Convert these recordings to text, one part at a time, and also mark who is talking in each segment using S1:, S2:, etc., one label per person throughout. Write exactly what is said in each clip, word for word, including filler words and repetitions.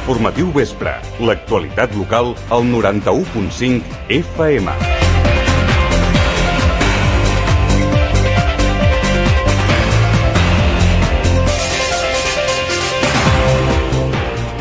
S1: Informatiu Vespre, l'actualitat local al noranta-u punt cinc F M.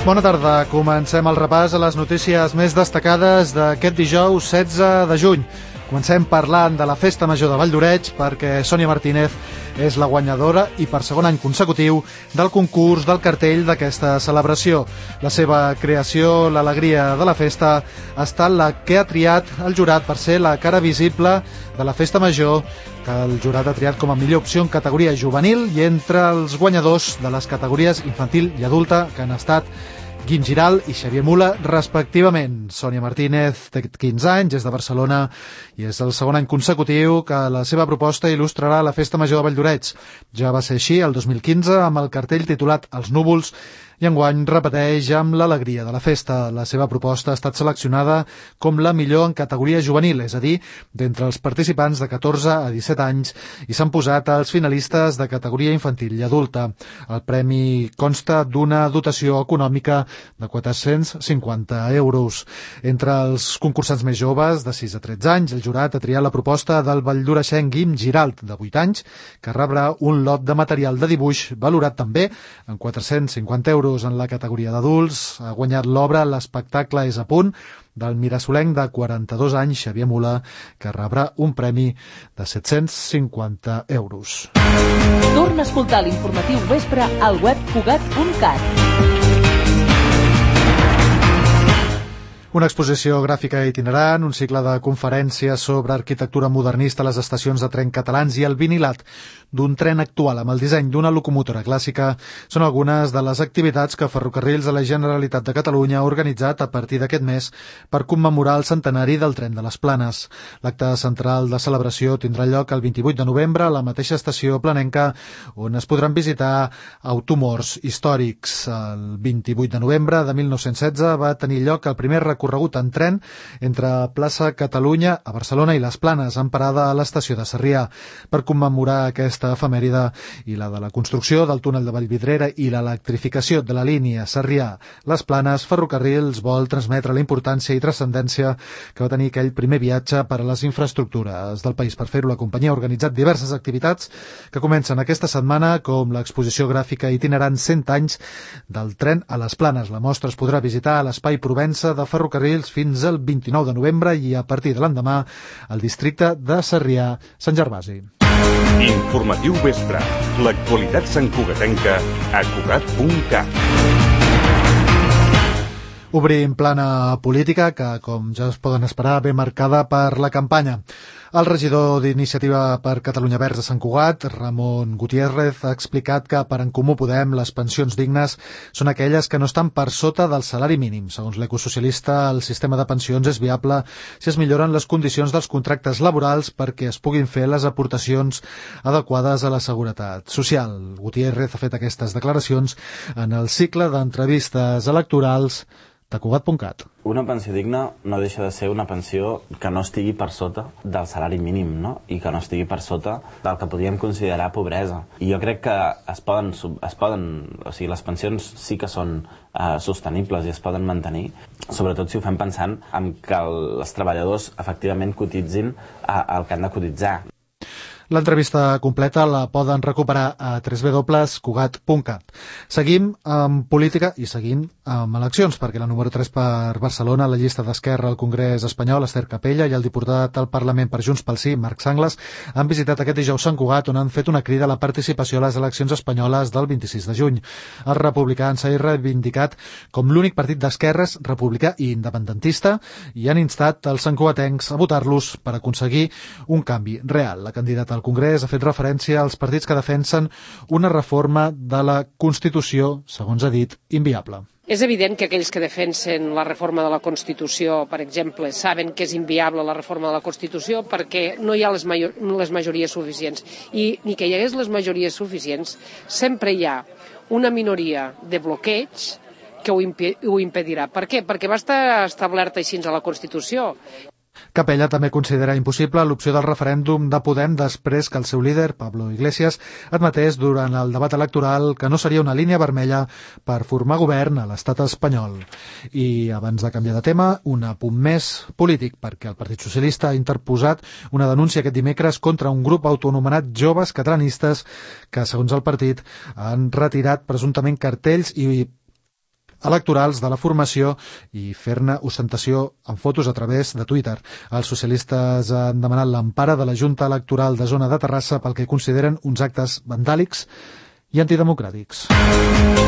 S2: Bona tarda, comencem el repàs a les notícies més destacades d'aquest dijous setze de juny. Comencem parlant de la Festa Major de Vall d'Oreig perquè Sònia Martínez és la guanyadora i per segon any consecutiu del concurs del cartell d'aquesta celebració. La seva creació, l'alegria de la festa, ha estat la que ha triat el jurat per ser la cara visible de la Festa Major, que el jurat ha triat com a millor opció en categoria juvenil i entre els guanyadors de les categories infantil i adulta, que han estat Guim Giral i Xavier Mula, respectivament. Sònia Martínez té quinze anys, és de Barcelona i és el segon any consecutiu que la seva proposta il·lustrarà la Festa Major de Vall d'Oreig. Ja va ser així el dos mil quinze amb el cartell titulat Els núvols i enguany repeteix amb l'alegria de la festa. La seva proposta ha estat seleccionada com la millor en categoria juvenil, és a dir, d'entre els participants de catorze a disset anys, i s'han posat els finalistes de categoria infantil i adulta. El premi consta d'una dotació econòmica de quatre-cents cinquanta euros. Entre els concursants més joves, de sis a tretze anys, el jurat ha triat la proposta del valldoreixenc Guim Giralt, de vuit anys, que rebrà un lot de material de dibuix valorat també en quatre-cents cinquanta euros. En la categoria d'adults ha guanyat l'obra L'espectacle és a punt, del mirasolenc de quaranta-dos anys, Xavier Mula, que rebrà un premi de set-cents cinquanta euros.
S3: Torna a escoltar l'informatiu Vespre al web cugat punt cat.
S2: Una exposició gràfica itinerant, un cicle de conferències sobre arquitectura modernista a les estacions de tren catalans i el vinilat d'un tren actual amb el disseny d'una locomotora clàssica són algunes de les activitats que Ferrocarrils de la Generalitat de Catalunya ha organitzat a partir d'aquest mes per commemorar el centenari del tren de les Planes. L'acte central de celebració tindrà lloc el vint-i-vuit de novembre a la mateixa estació planenca, on es podran visitar automorts històrics. El vint-i-vuit de novembre de mil nou-cents setze va tenir lloc el primer recorregut en tren entre plaça Catalunya a Barcelona i les Planes, amb parada a l'estació de Sarrià. Per commemorar aquesta efemèride i la de la construcció del túnel de Vallvidrera i l'electrificació de la línia Sarrià-Les Planes, Ferrocarrils vol transmetre la importància i transcendència que va tenir aquell primer viatge per a les infraestructures del país. Per fer-ho, la companyia ha organitzat diverses activitats que comencen aquesta setmana, com l'exposició gràfica itinerant cent anys del tren a les Planes. La mostra es podrà visitar a l'Espai Provença de Ferrocarrils fins al vint-i-nou de novembre i a partir de l'endemà al districte de Sarrià-Sant Gervasi.
S1: Informatiu Vespre, l'actualitat santcugatenca a cugat punt cat.
S2: Obrim plana política que, com ja es poden esperar, ve marcada per la campanya. El regidor d'Iniciativa per Catalunya Verds a Sant Cugat, Ramon Gutiérrez, ha explicat que per En Comú Podem les pensions dignes són aquelles que no estan per sota del salari mínim. Segons l'ecosocialista, el sistema de pensions és viable si es milloren les condicions dels contractes laborals perquè es puguin fer les aportacions adequades a la seguretat social. Gutiérrez ha fet aquestes declaracions en el cicle d'entrevistes electorals de cugat punt cat.
S4: Una pensió digna no deixa de ser una pensió que no estigui per sota del salari mínim, no? I que no estigui per sota del que podríem considerar pobresa. I jo crec que es poden, es poden o sigui, les pensions sí que són eh, sostenibles i es poden mantenir, sobretot si ho fem pensant en que els treballadors efectivament cotitzin eh, el que han de cotitzar.
S2: L'entrevista completa la poden recuperar a w w w punt cugat punt cat. Seguim amb política i seguim amb eleccions, perquè la número tres per Barcelona, la llista d'Esquerra al Congrés espanyol, Esther Capella, i el diputat al Parlament per Junts pel Sí, Marc Sanglas, han visitat aquest dijous Sant Cugat, on han fet una crida a la participació a les eleccions espanyoles del vint-i-sis de juny. Els republicans s'han reivindicat com l'únic partit d'esquerres republicà i independentista i han instat els santcugatencs a votar-los per aconseguir un canvi real. La candidata al Congrés ha fet referència als partits que defensen una reforma de la Constitució, segons ha dit, inviable.
S5: És evident que aquells que defensen la reforma de la Constitució, per exemple, saben que és inviable la reforma de la Constitució perquè no hi ha les, major, les majories suficients. I ni que hi hagués les majories suficients, sempre hi ha una minoria de bloqueig que ho, impi ho impedirà. Per què? Perquè va estar establert així a la Constitució.
S2: Capella també considera impossible l'opció del referèndum de Podem després que el seu líder, Pablo Iglesias, admetés durant el debat electoral que no seria una línia vermella per formar govern a l'estat espanyol. I abans de canviar de tema, un apunt més polític, perquè el Partit Socialista ha interposat una denúncia aquest dimecres contra un grup autoanomenat Joves Catalanistes que, segons el partit, han retirat presumptament cartells i electorals de la formació i fer-ne ostentació en fotos a través de Twitter. Els socialistes han demanat l'empara de la Junta Electoral de Zona de Terrassa pel que consideren uns actes vandàlics i antidemocràtics.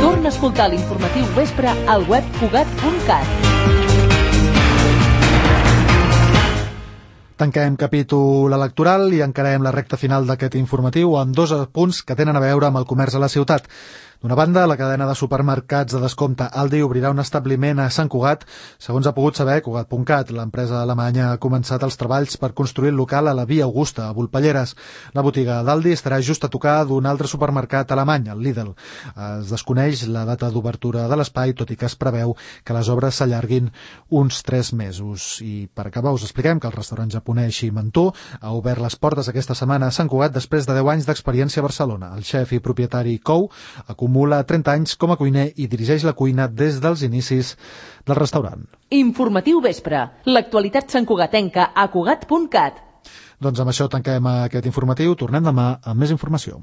S3: Torna a escoltar l'informatiu vespre al web Cugat punt cat.
S2: Tanquem capítol electoral i encarem la recta final d'aquest informatiu amb dos punts que tenen a veure amb el comerç a la ciutat. D'una banda, la cadena de supermercats de descompte Aldi obrirà un establiment a Sant Cugat. Segons ha pogut saber Cugat punt cat, l'empresa alemanya ha començat els treballs per construir el local a la Via Augusta, a Volpelleres. La botiga d'Aldi estarà just a tocar d'un altre supermercat alemany, el Lidl. Es desconeix la data d'obertura de l'espai, tot i que es preveu que les obres s'allarguin uns tres mesos. I per acabar us expliquem que el restaurant japonès Shimantú ha obert les portes aquesta setmana a Sant Cugat després de deu anys d'experiència a Barcelona. El xef i propietari Kou acumula acumula trenta anys com a cuiner i dirigeix la cuina des dels inicis del restaurant.
S3: Informatiu vespre. L'actualitat santcugatenca a Cugat punt cat.
S2: Doncs amb això tanquem aquest informatiu. Tornem demà amb més informació.